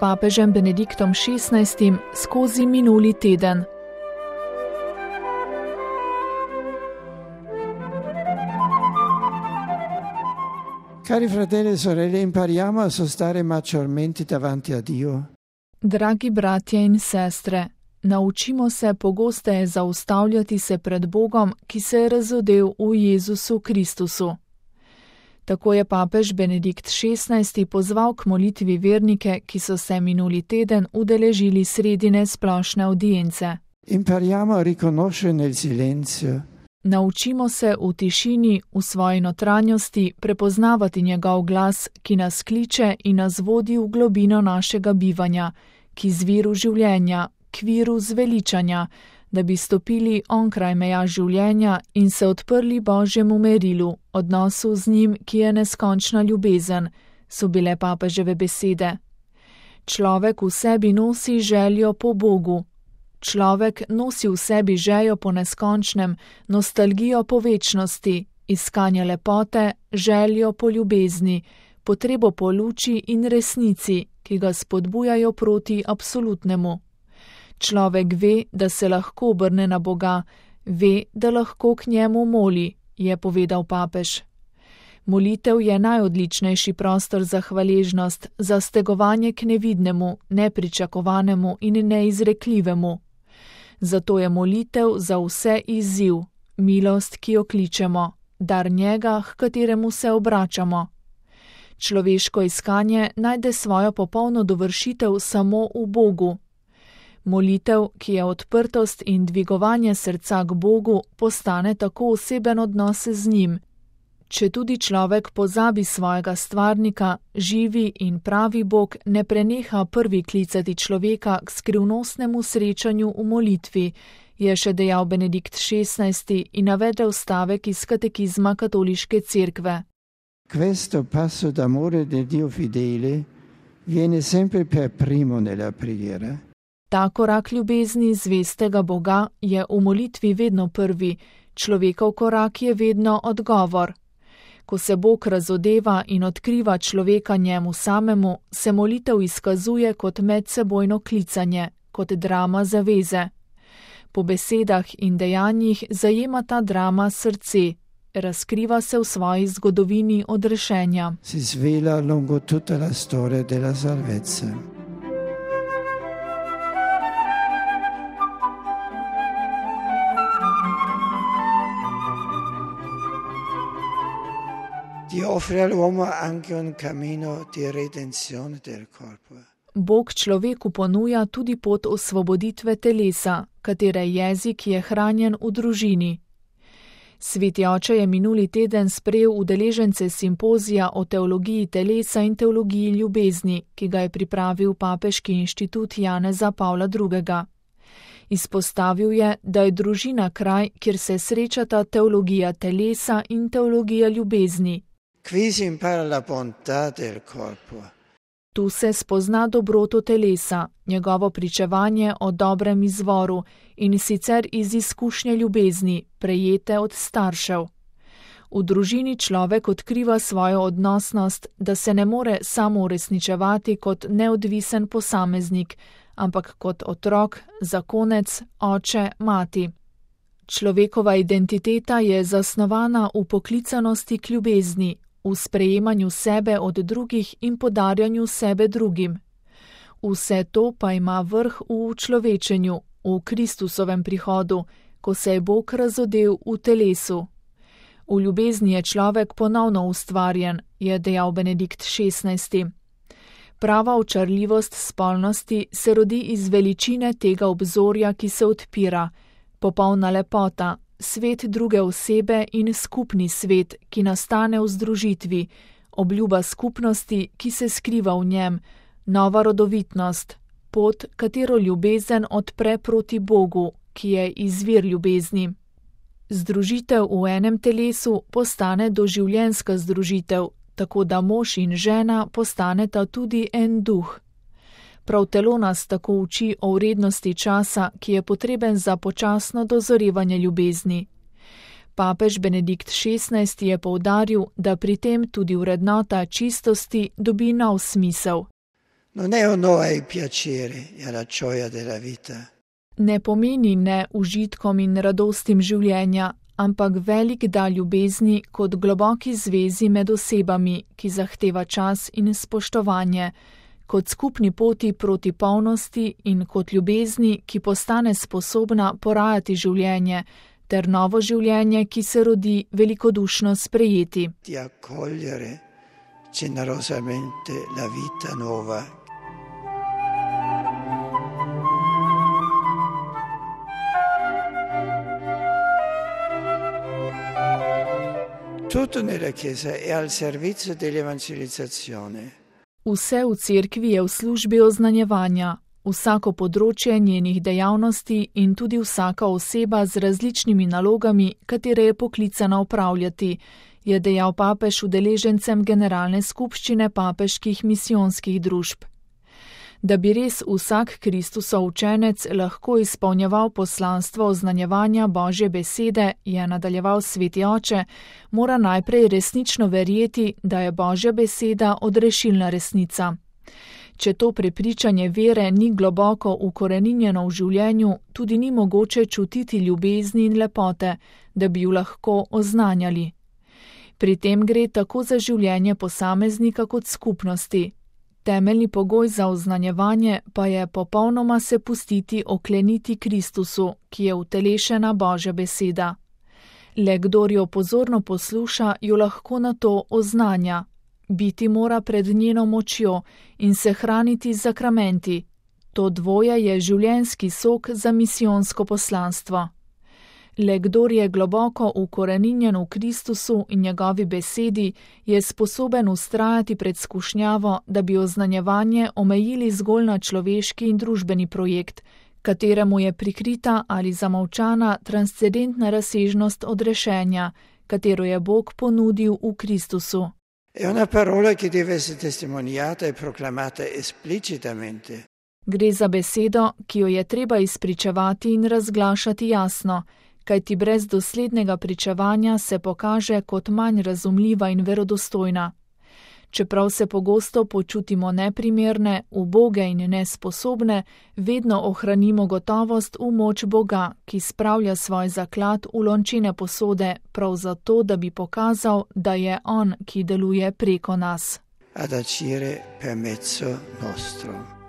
papežem Benediktom XVI skozi minuli teden. Cari fratelli e sorelle, impariamo a sostare maggiormente davanti a Dio. Dragi bratje in sestre, naučimo se pogosteje zaustavljati se pred Bogom, ki se je razodel v Jezusu Kristusu. Tako je papež Benedikt XVI pozval k molitvi vernike, ki so se minuli teden udeležili sredine splošne audience. Impariamo a riconoscere nel silenzio. Naučimo se v tišini, v svoji notranjosti prepoznavati njegov glas, ki nas kliče in nas vodi v globino našega bivanja, k izviru življenja, k viru zveličanja, da bi stopili onkraj meja življenja in se odprli Božjemu merilu, odnosu z njim, ki je neskončna ljubezen, so bile papeževe besede. Človek v sebi nosi željo po Bogu. Človek nosi v sebi željo po neskončnem, nostalgijo po večnosti, iskanje lepote, željo po ljubezni, potrebo po luči in resnici, ki ga spodbujajo proti absolutnemu. Človek ve, da se lahko obrne na Boga, ve, da lahko k njemu moli, je povedal papež. Molitev je najodličnejši prostor za hvaležnost, za stegovanje k nevidnemu, nepričakovanemu in neizrekljivemu. Zato je molitev za vse izziv, milost, ki jo kličemo, dar njega, h kateremu se obračamo. Človeško iskanje najde svojo popolno dovršitev samo v Bogu. Molitev, ki je odprtost in dvigovanje srca k Bogu, postane tako oseben odnos z njim. Če tudi človek pozabi svojega stvarnika, živi in pravi Bog ne preneha prvi klicati človeka k skrivnostnemu srečanju v molitvi, je še dejal Benedikt XVI in navedel stavek iz katekizma katoliške cerkve. Questo passo d'amore del Dio fidele viene sempre per primo nella preghiera. Ta korak ljubezni zvestega Boga je v molitvi vedno prvi, človekov korak je vedno odgovor. Ko se Bog razodeva in odkriva človeka njemu samemu, se molitev izkazuje kot medsebojno klicanje, kot drama zaveze. Po besedah in dejanjih zajema ta drama srce, razkriva se v svoji zgodovini odrešenja. Si svela lungo tutta la storia della salvezza. Dio offre all'uomo anche un cammino di redenzione del corpo. Bog človeku ponuja tudi pot osvoboditve telesa, katere jezik je hranjen v družini. Sveti oče je minuli teden sprejel udeležence simpozija o teologiji telesa in teologiji ljubezni, ki ga je pripravil Papeški inštitut Janeza Pavla II. Izpostavil je, da je družina kraj, kjer se srečata teologija telesa in teologija ljubezni. Qui si impara la bontà del corpo. Tu se spozna dobroto telesa, njegovo pričevanje o dobrem izvoru in sicer iz izkušnje ljubezni, prejete od staršev. V družini človek odkriva svojo odnosnost, da se ne more samo uresničevati kot neodvisen posameznik, ampak kot otrok, zakonec, oče, mati. Človekova identiteta je zasnovana v poklicanosti k ljubezni, v sprejemanju sebe od drugih in podarjanju sebe drugim. Vse to pa ima vrh v učlovečenju, v Kristusovem prihodu, ko se je Bog razodel v telesu. V ljubezni je človek ponovno ustvarjen, je dejal Benedikt XVI. Prava očarljivost spolnosti se rodi iz veličine tega obzorja, ki se odpira, popolna lepota, svet druge osebe in skupni svet, ki nastane v združitvi, obljuba skupnosti, ki se skriva v njem, nova rodovitnost, pot, katero ljubezen odpre proti Bogu, ki je izvir ljubezni. Združitev v enem telesu postane doživljenjska združitev, tako da mož in žena postaneta tudi en duh. Prav telo nas tako uči o vrednosti časa, ki je potreben za počasno dozorevanje ljubezni. Papež Benedikt XVI je poudaril, da pri tem tudi vrednota čistosti dobi nov smisel. Non è un no ai piaceri e alla gioia della vita. Ne pomeni ne užitkom in radostim življenja, ampak velik dar ljubezni kot globoki zvezi med osebami, ki zahteva čas in spoštovanje, kot skupni poti proti polnosti in kot ljubezni, ki postane sposobna porajati življenje, ter novo življenje, ki se rodi velikodušno sprejeti. Di accogliere generosamente la vita nuova. Tutto nella Chiesa è al servizio dell'evangelizzazione. Vse v cerkvi je v službi oznanjevanja, vsako področje njenih dejavnosti in tudi vsaka oseba z različnimi nalogami, katere je poklicana opravljati, je dejal papež udeležencem generalne skupščine papeških misijonskih družb. Da bi res vsak Kristusov učenec lahko izpolnjeval poslanstvo oznanjevanja Božje besede, je nadaljeval Sveti oče, mora najprej resnično verjeti, da je Božja beseda odrešilna resnica. Če to prepričanje vere ni globoko ukoreninjeno v življenju, tudi ni mogoče čutiti ljubezni in lepote, da bi ju lahko oznanjali. Pri tem gre tako za življenje posameznika kot skupnosti. Temeljni pogoj za oznanjevanje pa je popolnoma se pustiti okleniti Kristusu, ki je utelešena Božja beseda. Le kdor jo pozorno posluša, jo lahko na to oznanja. Biti mora pred njeno močjo in se hraniti z sakramenti. To dvoje je življenjski sok za misijonsko poslanstvo. Le kdor je globoko ukoreninjen v Kristusu in njegovi besedi, je sposoben vztrajati pred skušnjavo, da bi oznanjevanje omejili zgolj na človeški in družbeni projekt, kateremu je prikrita ali zamolčana transcendentna razsežnost odrešenja, katero je Bog ponudil v Kristusu. È una parola che deve essere testimoniata e proclamata esplicitamente. Gre za besedo, ki jo je treba izpričevati in razglašati jasno, kajti brez doslednega pričevanja se pokaže kot manj razumljiva in verodostojna. Čeprav se pogosto počutimo neprimerne, uboge in nesposobne, vedno ohranimo gotovost v moč Boga, ki spravlja svoj zaklad v lončene posode, prav zato, da bi pokazal, da je On, ki deluje preko nas. Ad agire per mezzo nostro.